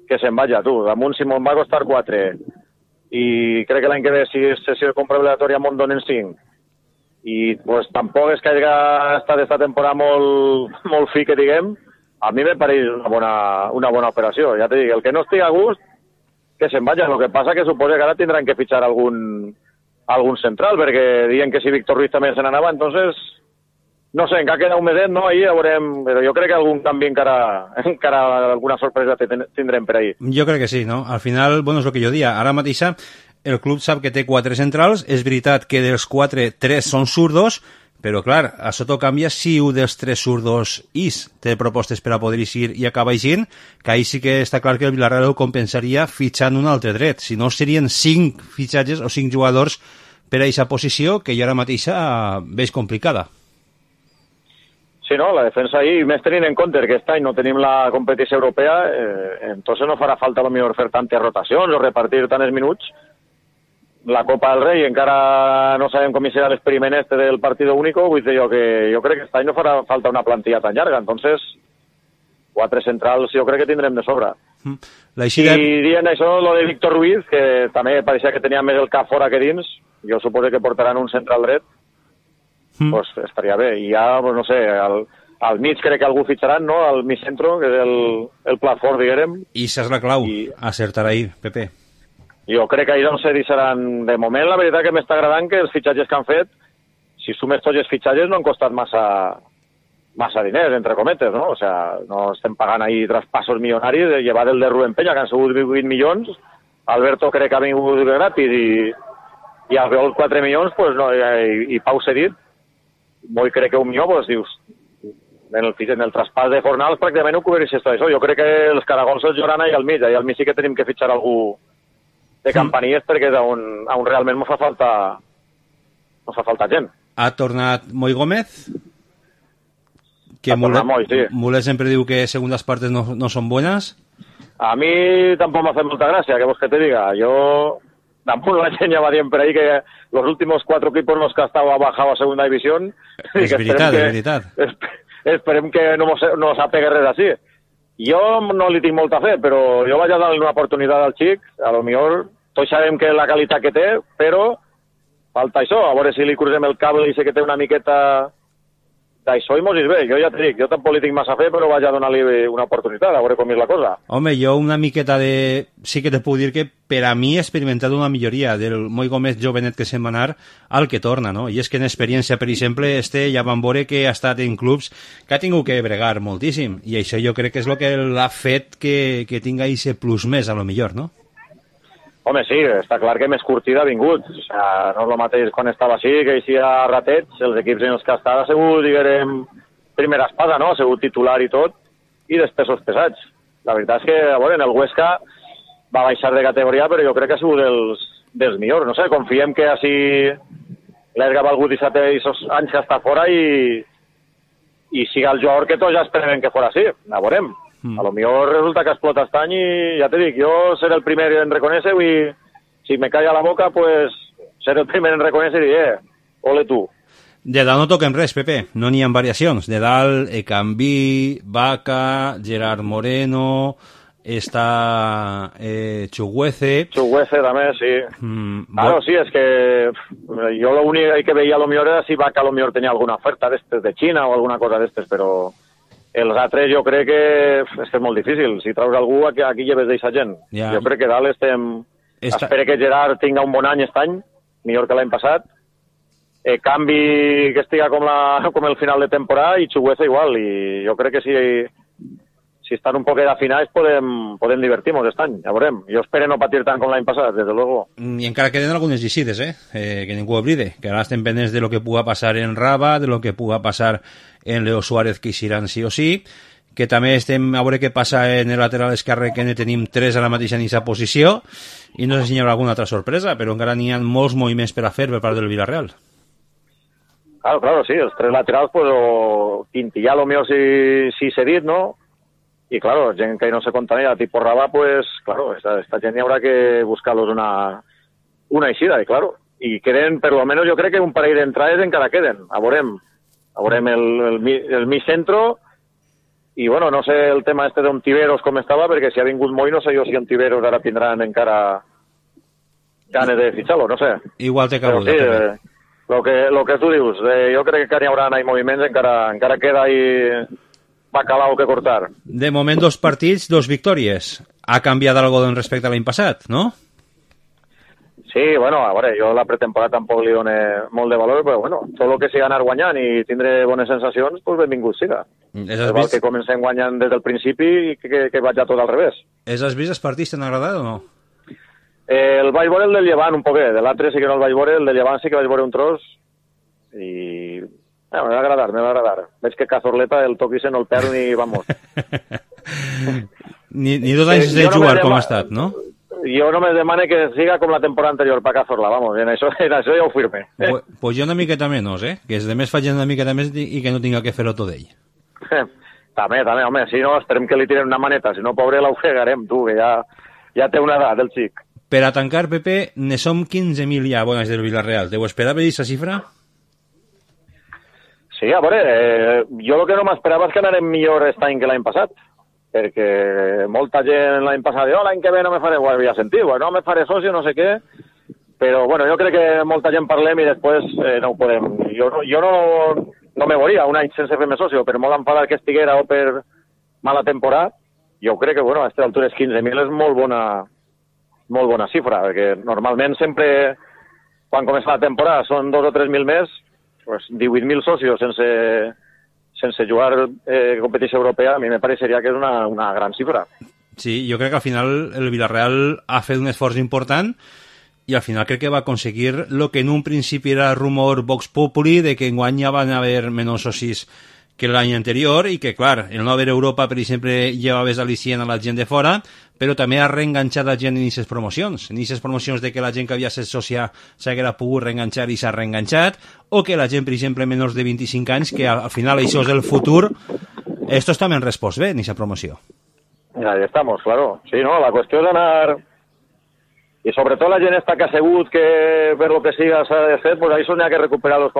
que se'n vaya, tu. Damunt, si me'n va costar 4 i crec que l'any que ve, si és sessió de compra obligatòria, me'n donen 5. I pues, tampoc és que hagi estat esta temporada molt fi, que diguem. A mi me pareix una bona operació. Ja te dic, el que no estigui a gust, que se'n vaya. El que passa que suposa que ara tindran que fitxar algun central, perquè diuen que si Víctor Ruiz també se n'anava, entonces, no sé, encara queda un meset, no? Ahí ja veurem, però jo crec que algun canvi encara alguna sorpresa tindrem per ahí. Jo crec que sí, no? Al final, bueno, és el que jo dia. Ara mateix el club sap que té 4 centrals, és veritat que dels 4, 3 són zurdos, però, clar, això t'ho canvia si un dels 3 zurdos té propostes per a poder eixir i acaba eixint, que ahí sí que està clar que el Villarreal ho compensaria fitxant un altre dret. Si no, serien 5 fitxatges o 5 jugadors per a aquesta posició, que jo ara mateixa veig complicada. Sí, no, la defensa ahí, més tenint en compte que aquest any no tenim la competició europea, entonces no farà falta a lo millor fer tantes rotacions o repartir tants minuts. La Copa del Rei encara no sabem com serà l'experiment este del partido único, vull dir jo que jo crec que aquest any no farà falta una plantilla tan llarga, entonces 4 centrals jo crec que tindrem de sobra. I dient això, lo de Víctor Ruiz, que també pareixia que tenia més el cap fora que dins, jo suposo que portaran un central dret, pues estaria bé. I ja, pues no sé, al mig crec que algú fitxaran, no?, al mig centro, que és el plat fort, diguem. I això és la clau, acertar ahí, Pepe. Jo crec que ahir no sé, seran... De moment, la veritat que m'està agradant que els fitxatges que han fet, si sumes tots els fitxatges, no han costat massa diners, entre cometes, no? O sea, no estem pagant ahir traspassos milionaris, llevat el de Rubén Peña, que han sigut 20 milions, Alberto crec que ha vingut gratis i Albiol 4 milions, pues no, i Pau cedit, molt crec que 1 milió, pues dius, en el traspàs de Fornals pràcticament ho cobreix tot això. Jo crec que els caragols els lloran ahir al mig sí que tenim que fitxar algú de campanilles perquè és on realment no fa falta gent. Ha tornat Moi Gómez, que Mulet sempre diu que segundas partes no son buenas. A mi tampoc m'ha fet molta gràcia, que vols que te diga. Jo, tampoc la gent ja va dient per ahí que los últimos 4 equipos los que ha estado bajado a segunda división. És veritat. Esperem que no s'apegue res així. Jo no li tinc molta fe, però jo vaig a dar-li una oportunitat al xic, a lo millor tots sabem que la qualitat que té, però falta això, a veure si li crucem el cable i sé que té una miqueta d'això i mos és bé. Jo ja t'he dit, jo tampoc li tinc massa fe, però vaig a donar-li una oportunitat, a veure com és la cosa. Home, jo una miqueta de... Sí que te puc dir que per a mi he experimentat una milloria del Moi Gómez jovenet que se'n va anar al que torna, no? I és que en experiència, per exemple, ja vam veure que ha estat en clubs que ha tingut que bregar moltíssim, i això jo crec que és el que l'ha fet que tinga aquest plus més, a lo millor, no? Home, sí, està clar que més curtida ha vingut. O sigui, no és el mateix quan estava així, que hi ha ratets, els equips en els que ha sigut, diguem, primera espada, no? Ha sigut titular i tot, i després els pesats. La veritat és que, a veure, en el Huesca va baixar de categoria, però jo crec que ha sigut dels millors. No sé, confiem que així l'Erga ha valgut 17 anys que està fora i siga el jugador que tots ja esperem que fora així. A veurem. A lo millor resulta que explota este any i ja te dic, jo seré el primer en reconèixer i si me calla la boca, pues seré el primer en reconèixer i ole tu. De dalt no toquem res, Pepe, no n'hi ha variacions. De dalt, Ecambí, Vaca, Gerard Moreno, està Chuguece. Chuguece també, sí. Claro, sí, és que jo l'únic que veia a lo millor era si Vaca a lo millor tenia alguna oferta d'estes de Xina o alguna cosa d'estes, però els altres jo crec que és molt difícil. Si traus algú, aquí lleves d'eixa gent. Ja. Jo crec que dalt estem... Espero que Gerard tinga un bon any aquest any, millor que l'any passat. Canvi que estiga com el final de temporada i Chugueza igual. I jo crec que si estan un poquet afinats podem divertir-nos aquest any. Ja veurem. Jo espero no patir tant com l'any passat, des de luego. I encara queden algunes llicides, que ningú oblide. Que ara estem pendents de lo que puga passar en Raba, de lo que puga passar en Leo Suárez, que iran sí o sí, que també estem a veure què passa en el lateral esquerre, que ne tenim 3 a la mateixa en aquesta posició, i no sé si hi haurà alguna altra sorpresa, però encara n'hi ha molts moviments per a fer per part del Villarreal. Claro, sí, els 3 laterals, pues, o Quintillà, lo mío sí cedit, ¿no? Y claro, gent que no se contamina, tipo Rabà, pues, claro, esta gent hi haurà que buscar-los una eixida, y claro. Y queden, per lo menos, jo crec que un parell d'entrades encara queden. A veurem el mig centro, i bueno, no sé el tema este d'un Tiveros com estava, perquè si ha vingut Moi, no sé jo si en Tiveros ara tindran encara ganes de fitxar-lo, no sé. Igual té cabuda. Sí, lo que tu dius, jo crec que n'hi haurà moviments, encara queda ahí bacalao que cortar. De moment 2 partits, 2 victòries. Ha canviat algo respecte a l'any passat, no? Sí, bueno, a veure, jo la pretemporada tampoc li dono molt de valor, però bueno, tot el que sigui anar guanyant i tindre bones sensacions, doncs benvingut siga. Val que comencem guanyant des del principi i que vaig a tot al revés. Has vist els partits, t'han agradat o no? El vaig veure el del Llevant un poquet, de l'altre sí que no el vaig veure, el del Llevant sí que vaig veure un tros i... me va agradar. Veig que Cazorleta el toquise no el perd ni, vamos. ni 2 anys de jugar com ha estat, no? Jo només demane que siga com la temporada anterior per Cazorla, vamos, en això ja ho firme. Pues jo una miqueta menys, que els demés facin una miqueta més i que no tinga que fer-ho tot ell. També, home, si no, esperem que li tiren una maneta, si no, pobre, l'ofegarem, tu, que ja té una edat, el xic. Per a tancar, Pepe, ne som 15.000 ja abones del Villarreal. Deu esperar aquesta xifra? Sí, a veure, jo el que no m'esperava és que anarem millor aquest any que l'any passat, perquè molta gent l'any passat diu, l'any que ve no me faré, ho havia sentit, no me faré socio, no sé què, però bueno, jo crec que molta gent parlem i després no ho podem. Jo no me volia un any sense fer-me socio, per molt enfadar que estiguera o per mala temporada, jo crec que, bueno, a aquestes altures 15.000 és molt bona xifra, perquè normalment sempre, quan comença la temporada, són 2 o 3.000 més, pues 18.000 socios sense jugar competició europea, a mi me pareixeria que és una gran xifra. Sí, jo crec que al final el Villarreal ha fet un esforç important i al final crec que va aconseguir el que en un principi era rumor Vox Populi de que enguany ja van haver menys socis que l'any anterior i que, clar, el no haver Europa, per exemple, llevaves al·licient a la gent de fora, però també ha reenganxat la gent en aquestes promocions. En aquestes promocions de que la gent que havia estat sòcia s'haguera pogut reenganxar i s'ha reenganxat, o que la gent, per exemple, menys de 25 anys, que al final això és el futur, estos també han respost bé en aquesta promoció. Ahí estamos, claro. Sí, no, la qüestió és anar... I sobretot la gent està que ha segut que per lo que siga s'ha de fer, pues això n'hi ha que recuperar-los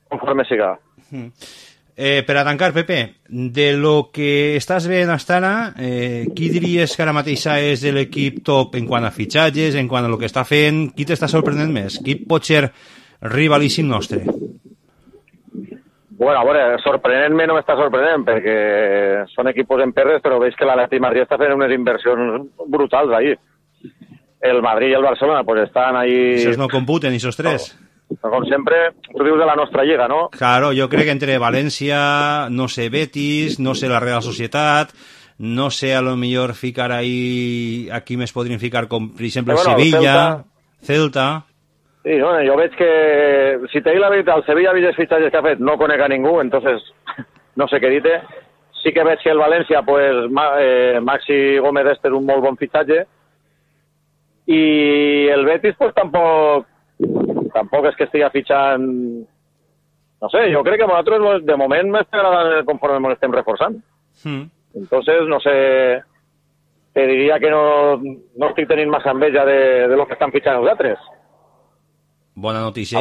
conforme siga. Per a tancar, Pepe, de lo que estàs veient hasta ara, qui diries que ara mateix és l'equip top en quant a fitxatges, en quant a lo que està fent? Qui t'està sorprenent més? Qui pot ser rivalíssim nostre? Bueno, a veure, sorprenent-me no m'està sorprenent, perquè són equipos en perres, però veig que l'Atlètic Madrid està fent unes inversions brutals ahí. El Madrid i el Barcelona pues estan ahí... Esos no computen, esos tres. Com sempre, tu dius de la nostra lliga, no? Claro, jo crec que entre València, no sé, Betis, no sé, la Real Societat, no sé, a lo millor ficar ahí... Aquí més podrien ficar, com, per exemple, Sevilla, Celta... Sí, bueno, jo veig que, si te dic la veritat, el Sevilla ha vist els fitxatges que ha fet, no conec a ningú, entonces no sé què dir-te. Sí que veig que el València, pues, Maxi Gómez és un molt bon fitxatge, i el Betis, pues, tampoc és que estigui fitxant... No sé, jo crec que nosaltres, de moment, m'està agradant conforme ens estem reforçant. Entonces, no sé... Te diria que no estic tenint massa enveja de lo que estan fitxant els altres. Bona notícia.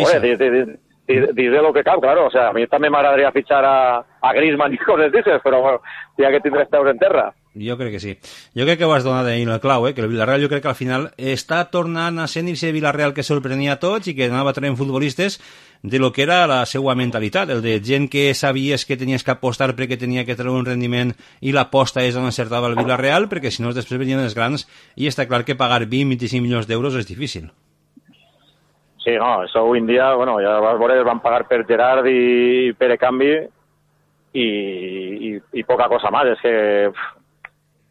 Diré lo que cal, claro. O sea, a mi també m'agradaria fitxar a Griezmann i coses d'aixes, però bueno, ja que tindré peus en terra. Jo crec que sí. Jo crec que ho has donat ahir el clau, que el Villarreal jo crec que al final està tornant a ser ese Villarreal que sorprenia a tots i que anava traient futbolistes de lo que era la seva mentalitat, el de gent que sabies que tenies que apostar perquè tenia que treure un rendiment i l'aposta és on encertava el Villarreal, perquè si no després venien els grans i està clar que pagar 20-25 milions d'euros és difícil. Sí, no, això avui en dia, bueno, ja vas veure, van pagar per Gerard i Pere Canvi i poca cosa més. És que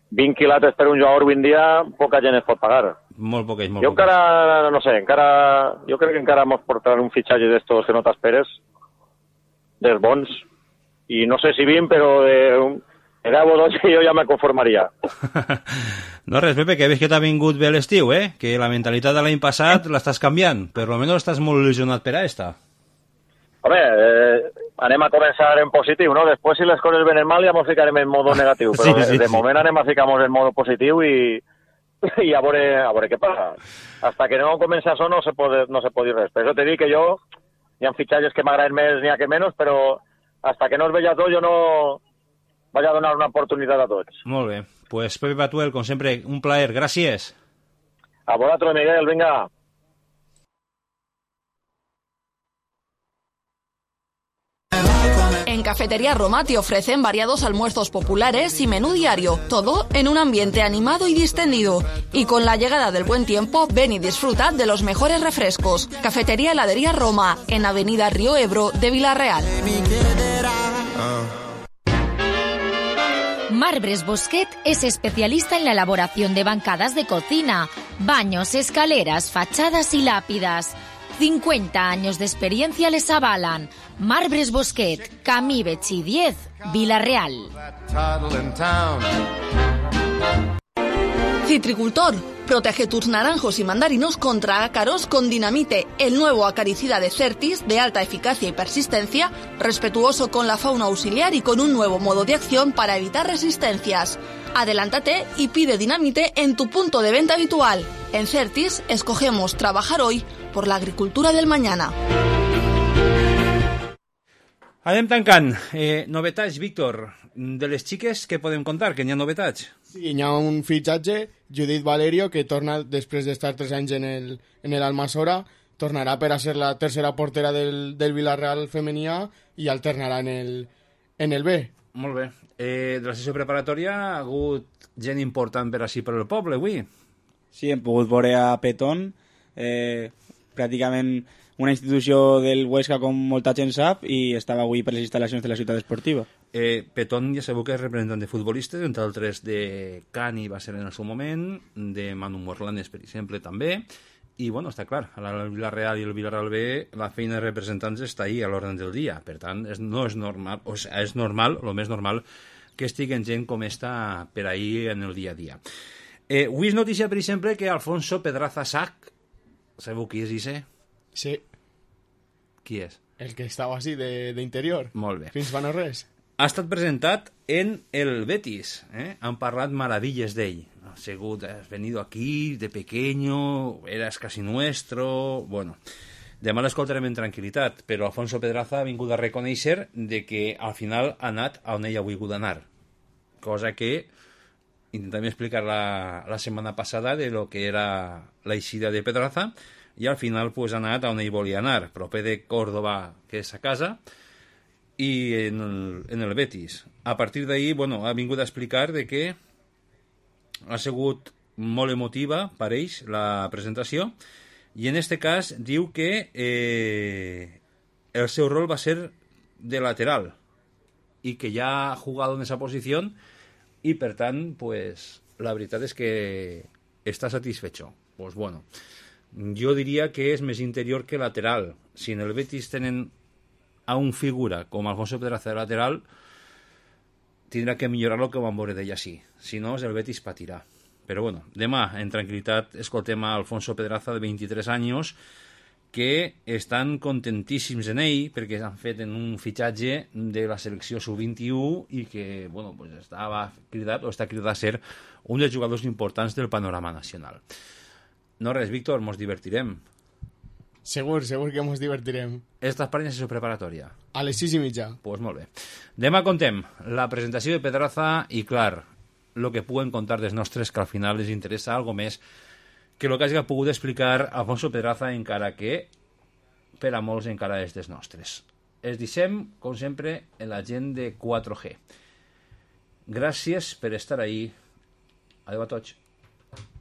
20 quilates per un jugador avui en dia, poca gent es pot pagar. Molt poquets, molt poquets. Jo encara, no sé, jo crec que encara mos portaran un fitxatge d'estos que no t'esperes, dels bons, i no sé si 20, però de 10 o 12 jo ja me conformaria. No res, Pepe, que veig que t'ha vingut bé l'estiu, que la mentalitat de l'any passat l'estàs canviant, per almenys estàs molt il·lusionat per a esta. Home, anem a començar en positiu, no? Després, si les coses venen mal, ja ens ficarem en modo negatiu, però de moment anem a ficar-nos en modo positiu i a veure què passa. Hasta que no comença això no se pot dir res. Per això t'he dit que jo, hi ha fitxatges que m'agraden més n'hi ha que menys, però hasta que no es veia tot jo no vaig a donar una oportunitat a tots. Molt bé. Pues Pepe Batuel, com sempre, un plaer. Gràcies. A vosaltres, Miguel, vinga. En Cafetería Roma te ofrecen variados almuerzos populares y menú diario, todo en un ambiente animado y distendido. Y con la llegada del buen tiempo, ven y disfruta de los mejores refrescos. Cafetería Heladería Roma, en Avenida Río Ebro de Villarreal. Marbres Bosquet es especialista en la elaboración de bancadas de cocina, baños, escaleras, fachadas y lápidas. 50 años de experiencia les avalan. Marbres Bosquet, Camí Betxí 10, Villarreal. Citricultor, protege tus naranjos y mandarinos contra ácaros con Dinamite, el nuevo acaricida de Certis de alta eficacia y persistencia, respetuoso con la fauna auxiliar y con un nuevo modo de acción para evitar resistencias. Adelántate y pide Dinamite en tu punto de venta habitual. En Certis escogemos trabajar hoy por la agricultura del mañana. Anem tancant. Novetats, Víctor. De les xiques, què podem contar? Que n'hi ha novetats? Sí, hi ha un fitxatge, Judith Valerio, que torna després d'estar 3 anys en el Almassora, tornarà per a ser la tercera portera del Villarreal femení i alternarà en el B. Molt bé. De la sessió preparatòria ha hagut gent important per així per el poble, avui. Sí, hem pogut veure a Petón, pràcticament una institució del Huesca com molta gent sap, i estava avui per les instal·lacions de la ciutat esportiva. Petón ja sabeu que és representant de futbolistes, entre altres de Cani va ser en el seu moment, de Manu Morlanes, per exemple, també, i bueno, està clar, el Villarreal i el Villarreal B, la feina de representants està ahí a l'ordre del dia, per tant, no és normal, o sigui, és normal, el més normal, que estiguen gent com esta per ahí en el dia a dia. Avui és notícia, per exemple, que Alfonso Pedraza Sac, sabeu qui és ese? Sí. Qui és? El que estava així d'interior. Molt bé. Fins fa no res. Ha estat presentat en el Betis. Han parlat maravilles d'ell. Ha sigut, has venido aquí de pequeño, eras casi nuestro... Bueno, demà l'escoltarem en tranquil·litat, però Alfonso Pedraza ha vingut a reconèixer de que al final ha anat on ell ha volgut anar. Cosa que intentarem explicar la setmana passada de lo que era la eixida de Pedraza, i al final pues, ha anat on ell volia anar, proper de Córdoba, que és a casa, i en el Betis. A partir d'ahir, bueno, ha vingut a explicar de que ha sigut molt emotiva per ells la presentació, i en este cas diu que el seu rol va ser de lateral i que ja ha jugat en esa posició i per tant pues, la veritat és que està satisfecho. Pues bueno, jo diria que és més interior que lateral. Si en el Betis tenen a un figura com Alfonso Pedraza de lateral, tindrà que millorar lo que van veure d'ell així. Si no, el Betis patirà. Però bueno, demà, en tranquil·litat, escoltem a Alfonso Pedraza, de 23 anys, que estan contentíssims en ell, perquè han fet en un fitxatge de la selecció sub-21 i que, bueno, pues estava cridat, o està cridat a ser un dels jugadors importants del panorama nacional. No res, Víctor, mos divertirem. Segur que mos divertirem. Estàs per la sessió preparatòria? A les 6:30. Pues molt bé. Demà contem la presentació de Pedraza i, clar, el que puguen contar dels nostres, que al final les interessa algo més que el que hagi pogut explicar Alfonso Pedraza, encara que per a molts encara és dels nostres. Es deixem, com sempre, en la gent de 4G. Gràcies per estar ahí. Adéu a tots.